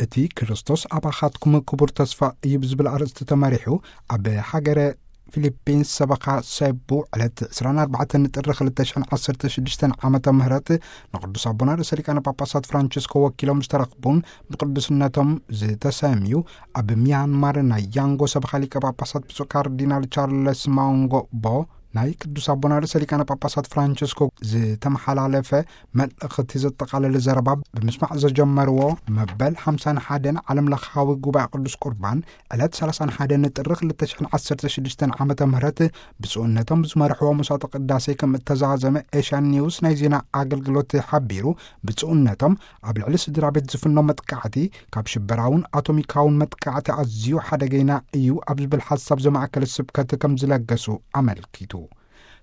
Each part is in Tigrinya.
እቲ ክርስቶስ ኣባኻትኩም ክቡር ተስፋ እዩ ብዝብል ኣርእስቲ ተመሪሑ ኣብ ሃገረ ፊሊፒንስ ሰበኻ ሰቡ ዕለት ዕስራን ኣርባዕተን ጥሪ ክልተ ሽሕን ዓሰርተ ሽዱሽተን ዓመተ ምህረት ንቅዱስ ኣቦና ርእሰ ሊቃነ ጳጳሳት ፍራንቸስኮ ወኪሎም ዝተረኽቡን ብቅዱስነቶም ዝተሰምዩ ኣብ ሚያንማር ናይ ያንጎ ሰበኻ ሊቀ ጳጳሳት ብፁዕ ካርዲናል ቻርለስ ማውንጎ ቦ ናይ ቅዱስ ኣቦና ርእሰ ሊቃነ ጳጳሳት ፍራንቸስኮ ዝተመሓላለፈ መልእኽቲ ዘጠቓለለ ዘረባ ብምስማዕ ዘጀመርዎ መበል ሓምሳን ሓደን ዓለም ለኻዊ ጉባኤ ቅዱስ ቁርባን ዕለት ሰላሳን ሓደን ጥሪ ክልተ ሽሕን ዓሰርተ ሽዱሽተን ዓመተ ምህረት ብፁዕነቶም ዝመርሕዎ መስዋዕተ ቅዳሴ ከም እተዛዘመ ኤሽያን ኒውስ ናይ ዜና ኣገልግሎት ሓቢሩ። ብፁዕነቶም ኣብ ልዕሊ ስድራ ቤት ዝፍኖ መጥቃዕቲ ካብ ሽበራውን ኣቶሚካውን መጥቃዕቲ ኣዝዩ ሓደገይና እዩ ኣብ ዝብል ሓሳብ ዘማእከለ ስብከት ከም ዝለገሱ ኣመልኪቱ።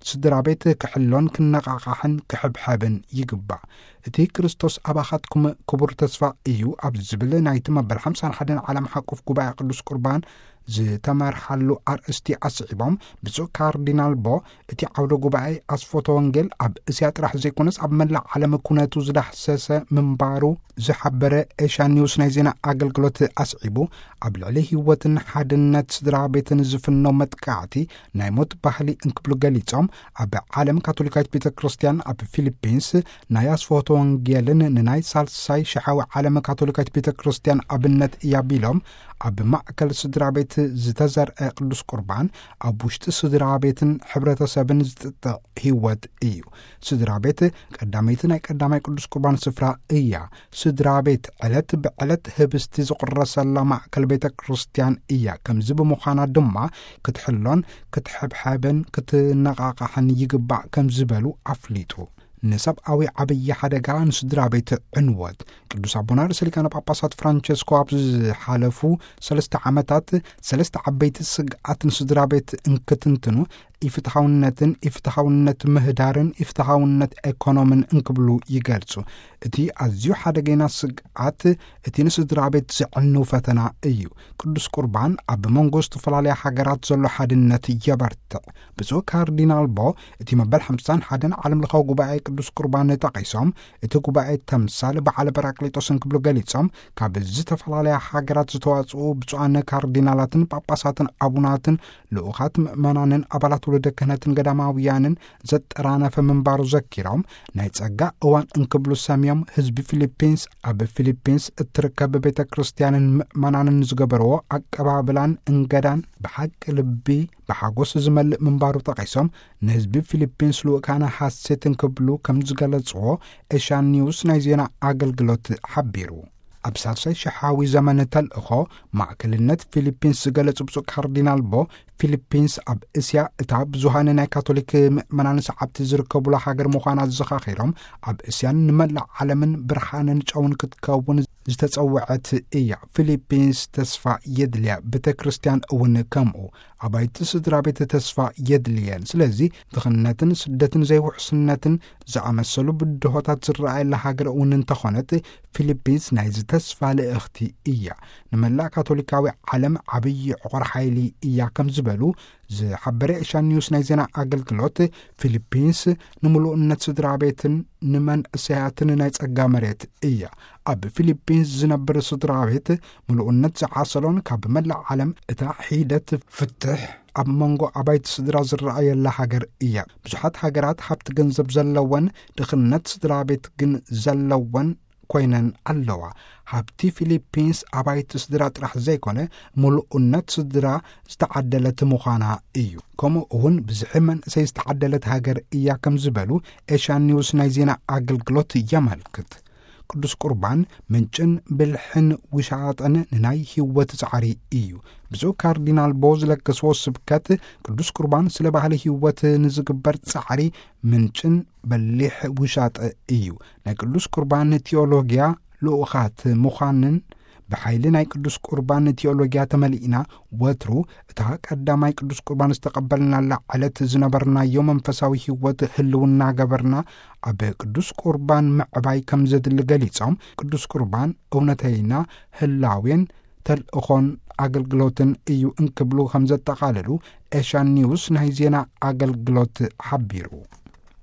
ስድራ ቤት ክሕሎን ክነቓቓሕን ክሕብሐብን ይግባእ። እቲ ክርስቶስ ኣባኻትኩም ክቡር ተስፋ እዩ ኣብ ዝብል ናይቲ መበል ሓምሳን ሓደን ዓለም ሓቁፍ ጉባኤ ቅዱስ ቁርባን ዝተመርሓሉ ኣርእስቲ ኣስዒቦም ብፁዕ ካርዲናል ቦ እቲ ዓውደ ጉባኤ ኣስፎተ ወንጌል ኣብ እስያ ጥራሕ ዘይኮነስ ኣብ መላእ ዓለም ኩነቱ ዝዳህሰሰ ምንባሩ ዝሓበረ ኤሽያ ኒውስ ናይ ዜና ኣገልግሎት ኣስዒቡ ኣብ ልዕሊ ህይወትን ሓድነት ስድራ ቤትን ዝፍኖ መጥቃዕቲ ናይ ሞት ባህሊ እንክብሉ ገሊጾም ኣብ ዓለም ካቶሊካዊት ቤተ ክርስቲያን ኣብ ፊሊፒንስ ናይ ኣስፎተ ወንጌልን ንናይ ሳልሳይ ሽሓዊ ዓለም ካቶሊካዊት ቤተ ክርስቲያን ኣብነት እያ ቢሎም ኣብ ማእከል ስድራ ቤት ዝተዘርአ ቅዱስ ቁርባን ኣብ ውሽጢ ስድራ ቤትን ሕብረተሰብን ዝጥጥዕ ህይወት እዩ። ስድራ ቤት ቀዳመይቲ ናይ ቀዳማይ ቅዱስ ቁርባን ስፍራ እያ። ስድራ ቤት ዕለት ብዕለት ህብስቲ ዝቑረሰላ ማእከል ቤተ ክርስቲያን እያ። ከምዚ ብምዃና ድማ ክትሕሎን ክትሕብሐብን ክትነቓቓሕን ይግባእ ከም ዝበሉ ኣፍሊጡ። ንሰብኣዊ ዓብዪ ሓደጋ ንስድራ ቤት ዕንወት ቅዱስ ኣቦና ርእሰ ሊቃነ ጳጳሳት ፍራንቸስኮ ኣብ ዝሓለፉ ሰለስተ ዓመታት ሰለስተ ዓበይቲ ስግኣት ንስድራ ቤት እንክትንትኑ ኢፍትሓውነትን ኢፍትሓውነት ምህዳርን ኢፍትሓውነት ኤኮኖምን እንክብሉ ይገልጹ። እቲ ኣዝዩ ሓደገይና ስግኣት እቲ ንስድራ ቤት ዘዕንው ፈተና እዩ። ቅዱስ ቁርባን ኣብ መንጎ ዝተፈላለያ ሃገራት ዘሎ ሓድነት የበርትዕ። ብፁዕ ካርዲናል ቦ እቲ መበል ሓምሳን ሓደን ዓለም ለኻዊ ጉባኤ ቅዱስ ቁርባን ጠቒሶም እቲ ጉባኤ ተምሳል በዓለ ጳራቅሊጦስ እንክብሉ ገሊጾም ካብ ዝተፈላለያ ሃገራት ዝተዋጽኡ ብፁዓን ካርዲናላትን ጳጳሳትን ኣቡናትን ልኡኻት ምእመናንን ኣባላት ወለደ ክህነትን ገዳማውያንን ዘጠራነፈ ምንባሩ ዘኪሮም ናይ ጸጋ እዋን እንክብሉ ሰምዮም ህዝቢ ፊሊፒንስ ኣብ ፊሊፒንስ እትርከብ ቤተ ክርስቲያንን ምእመናንን ዝገበርዎ ኣቀባብላን እንገዳን ብሓቂ ልቢ ብሓጎስ ዝመልእ ምንባሩ ጠቒሶም ንህዝቢ ፊሊፒንስ ልኡካነ ሓሴት እንክብሉ ከም ዝገለጽዎ ኤሽያን ኒውስ ናይ ዜና ኣገልግሎት ሓቢሩ። ኣብ ሳልሳይ ሽሓዊ ዘመን ተልእኾ ማእከልነት ፊሊፒንስ ዝገለጹ ብፁዕ ካርዲናል ቦ ፊሊፒንስ ኣብ እስያ እታ ብዙሃን ናይ ካቶሊክ ምእመናን ሰዓብቲ ዝርከቡላ ሃገር ምዃና ዘኻኺሮም ኣብ እስያን ንመላእ ዓለምን ብርሃንን ጨውን ክትከውን ዝተጸውዐት እያ። ፊሊፒንስ ተስፋ የድልያ፣ ቤተ ክርስቲያን እውን ከምኡ። ኣባይቲ ስድራ ቤት ተስፋ የድልየን። ስለዚ ድኽነትን ስደትን ዘይውሕስነትን ዝኣመሰሉ ብድሆታት ዝረኣየላ ሃገር እውን እንተኾነት ፊሊፒንስ ናይዚ ተስፋ ልእኽቲ እያ። ንመላእ ካቶሊካዊ ዓለም ዓብዪ ዕቑር ሓይሊ እያ ከም ዝበሉ ዝሓበረ ኤሽያን ኒውስ ናይ ዜና ኣገልግሎት ፊሊፒንስ ንምሉእነት ስድራ ቤትን ንመንእሰያትን ናይ ጸጋ መሬት እያ። ኣብ ፊሊፒንስ ዝነብር ስድራ ቤት ምሉእነት ዝዓሰሎን ካብ መላእ ዓለም እታ ሒደት ፍትሕ ኣብ መንጎ ኣባይቲ ስድራ ዝረኣየላ ሃገር እያ። ብዙሓት ሃገራት ሃብቲ ገንዘብ ዘለወን ድኽነት ስድራ ቤት ግን ዘለወን ኮይነን ኣለዋ። ሃብቲ ፊሊፒንስ ኣባይቲ ስድራ ጥራሕ ዘይኮነ ምሉእነት ስድራ ዝተዓደለት ምዃና እዩ። ከምኡ እውን ብዝሒ መንእሰይ ዝተዓደለት ሃገር እያ ከም ዝበሉ ኤሽያን ኒውስ ናይ ዜና ኣገልግሎት የመልክት። ቅዱስ ቁርባን ምንጭን ብልሕን ውሻጠን ንናይ ህይወት ጻዕሪ እዩ። ብፁዕ ካርዲናል ቦ ዝለገስዎ ስብከት ቅዱስ ቁርባን ስለ ባህሊ ህይወት ንዝግበር ጻዕሪ ምንጭን በሊሕ ውሻጠ እዩ። ናይ ቅዱስ ቁርባን ቴዎሎጊያ ልኡኻት ምዃንን ብሓይሊ ናይ ቅዱስ ቁርባን ቴዎሎጊያ ተመሊእና ወትሩ እታ ቀዳማይ ቅዱስ ቁርባን ዝተቐበልናላ ዕለት ዝነበርናዮ መንፈሳዊ ህይወት ህልውና ገበርና ኣብ ቅዱስ ቁርባን ምዕባይ ከም ዘድሊ ገሊጾም ቅዱስ ቁርባን እውነተይና ህላዌን ተልእኾን ኣገልግሎትን እዩ እንክብሉ ከም ዘጠቓለሉ ኤሽያን ኒውስ ናይ ዜና ኣገልግሎት ሓቢሩ።